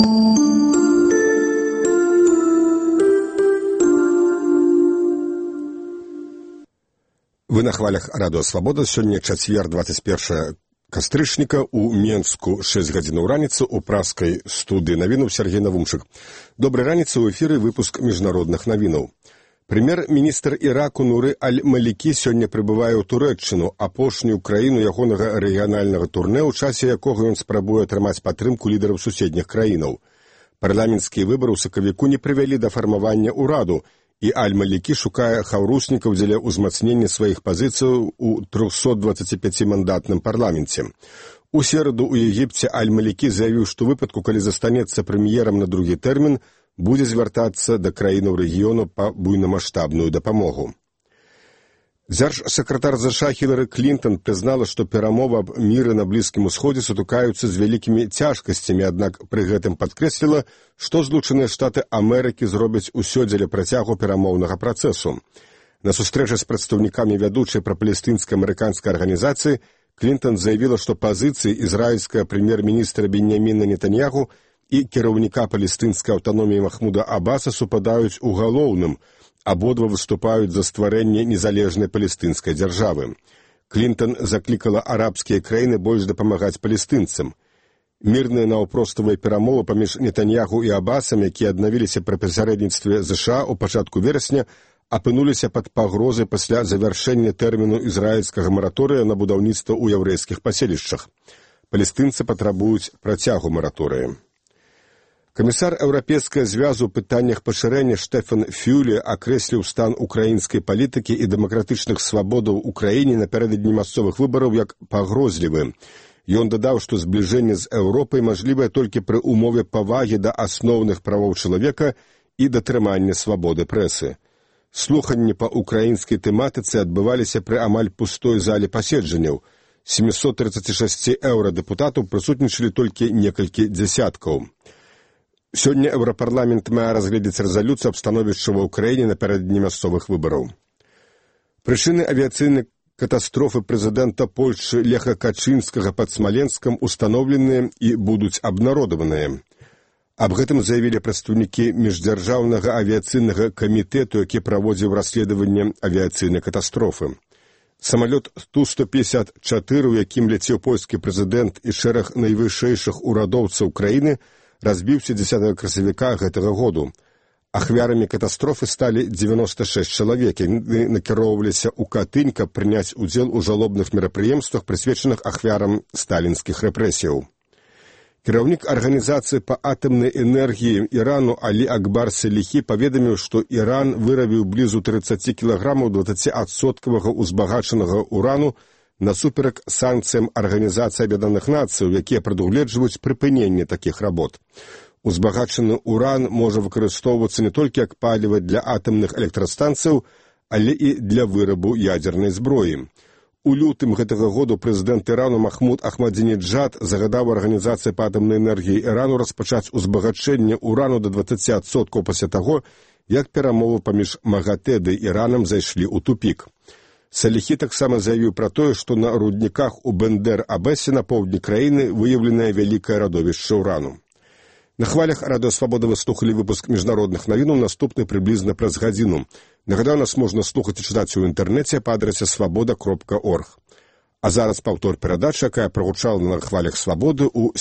Вы на хвалях Радыё Свабода. Сёння чацвер, 21 кастрычніка. У Менску 6 гадзінаў раніцы. У праскай студыі навінаў Сергей Навумчык. Добрай раніцы, ў эфіры выпуск міжнародных навінаў. Прэм'ер-міністр Іраку Нуры Аль-Малікі сёння прыбывае ў Турэччыну, апошнюю краіну ягонага рэгіянальнага турнэ, у часе якога ён спрабуе атрымаць падтрымку лідараў суседніх краінаў. Парламенцкія выбары ў сакавіку не прывялі да фармавання ўраду, і Аль-Малікі шукае хаўруснікаў дзеля ўзмацнення сваіх пазіцыяў у 325-мандатным парламенце. У сераду ў Егіпце Аль-Малікі заявіў, што ў выпадку, калі застанецца прэм'ерам на другі тэрмін, будзе звяртацца да краінаў рэгіёну па буйнамаштабную дапамогу. Дзяржсакратар ЗША Хілары Клінтон прызнала, што перамовы аб міры на Блізкім Усходзе сутыкаюцца з вялікімі цяжкасцямі, аднак пры гэтым падкрэсліла, што Злучаныя Штаты Амерыкі зробяць усё дзеля працягу перамоўнага працэсу. На сустрэчы з прадстаўнікамі вядучай прапалестынска-амерыканскай арганізацыі Клінтон заявіла, што пазіцыі ізраільскага прэм'ер-міністра Беньяміна Нетаньяху і кіраўніка палестынскай аўтаноміі Махмуда Аббаса супадаюць у галоўным. Абодва выступаюць за стварэнне незалежнай палестынскай дзяржавы. Клінтон заклікала арабскія краіны больш дапамагаць палестынцам. Мірныя наўпроставыя перамовы паміж Нетаньяху і Аббасам, якія аднавіліся пры пасярэдніцтве ЗША ў пачатку верасня, апынуліся пад пагрозай пасля завяршэння тэрміну ізраільскага мараторыя на будаўніцтва ў яўрэйскіх паселішчах. Палестынцы патрабуюць працягу мараторыя. Камісар Еўрапейскага звязу ў пытаннях пашырэння Штэфан Фюле акрэсліў стан украінскай палітыкі і дэмакратычных свабодаў у краіне напярэдадні мясцовых выбараў як пагрозлівы. Ён дадаў, што збліжэнне з Еўропай мажлівае толькі пры умове павагі да асноўных правоў чалавека і датрымання свабоды прэсы. Слуханні па украінскай тэматыцы адбываліся пры амаль пустой зале паседжанняў. 736 еўрадэпутатаў прысутнічалі толькі некалькі дзясяткаў. Сёння Еўрапарламент мае разгледзець рэзалюцыю аб становішчы ва ўкраіне напярэдадні мясцовых выбараў. Прычыны авіяцыйнай катастрофы прэзідэнта Польшчы Леха Качынскага пад Смаленскам устаноўленыя і будуць абнародаваныя. Аб гэтым заявілі прадстаўнікі міждзяржаўнага авіяцыйнага камітэту, які праводзіў расследаванне авіяцыйнай катастрофы. Самалёт Ту-154, у якім ляцеў польскі прэзідэнт і шэраг найвышэйшых урадоўцаў краіны, разбіўся 10 красавіка гэтага году. Ахвярамі катастрофы сталі 96 чалавек, яны накіроўваліся ў Катынь, каб прыняць удзел у жалобных мерапрыемствах, прысвечаных ахвярам сталінскіх рэпрэсіяў. Кіраўнік арганізацыі па атамнай энергіі Ірану Алі Акбар Саліхі паведаміў, што Іран вырабіў блізу 30 кілаграмаў 20% узбагачанага урану насуперак санкцыям Арганізацыі Аб'яднаных Нацыяў, якія прадугледжваюць прыпыненне такіх работ. Узбагачаны уран можа выкарыстоўвацца не толькі як паліва для атамных электрастанцыяў, але і для вырабу ядзернай зброі. У лютым гэтага году прэзідэнт Ірану Махмуд Ахмадзінеджад загадаў Арганізацыі па атамнай энергіі Ірану распачаць узбагачэнне урану да 20% пасля таго, як перамовы паміж МАГАТЭ ды Іранам зайшлі ў тупік. Саліхі таксама заявіў пра тое, што на рудніках у Бендэр-Абэсе на поўдні краіны выяўленае вялікае радовішча ўрану. На хвалях Радыё Свабода вы слухалі выпуск міжнародных навінаў, наступны прыблізна праз гадзіну. Нагадаю, нас можна слухаць і чытаць у інтэрнэце па адрасе свабода.орг. А зараз паўтор перадачы, якая прагучала на хвалях Свабоды ў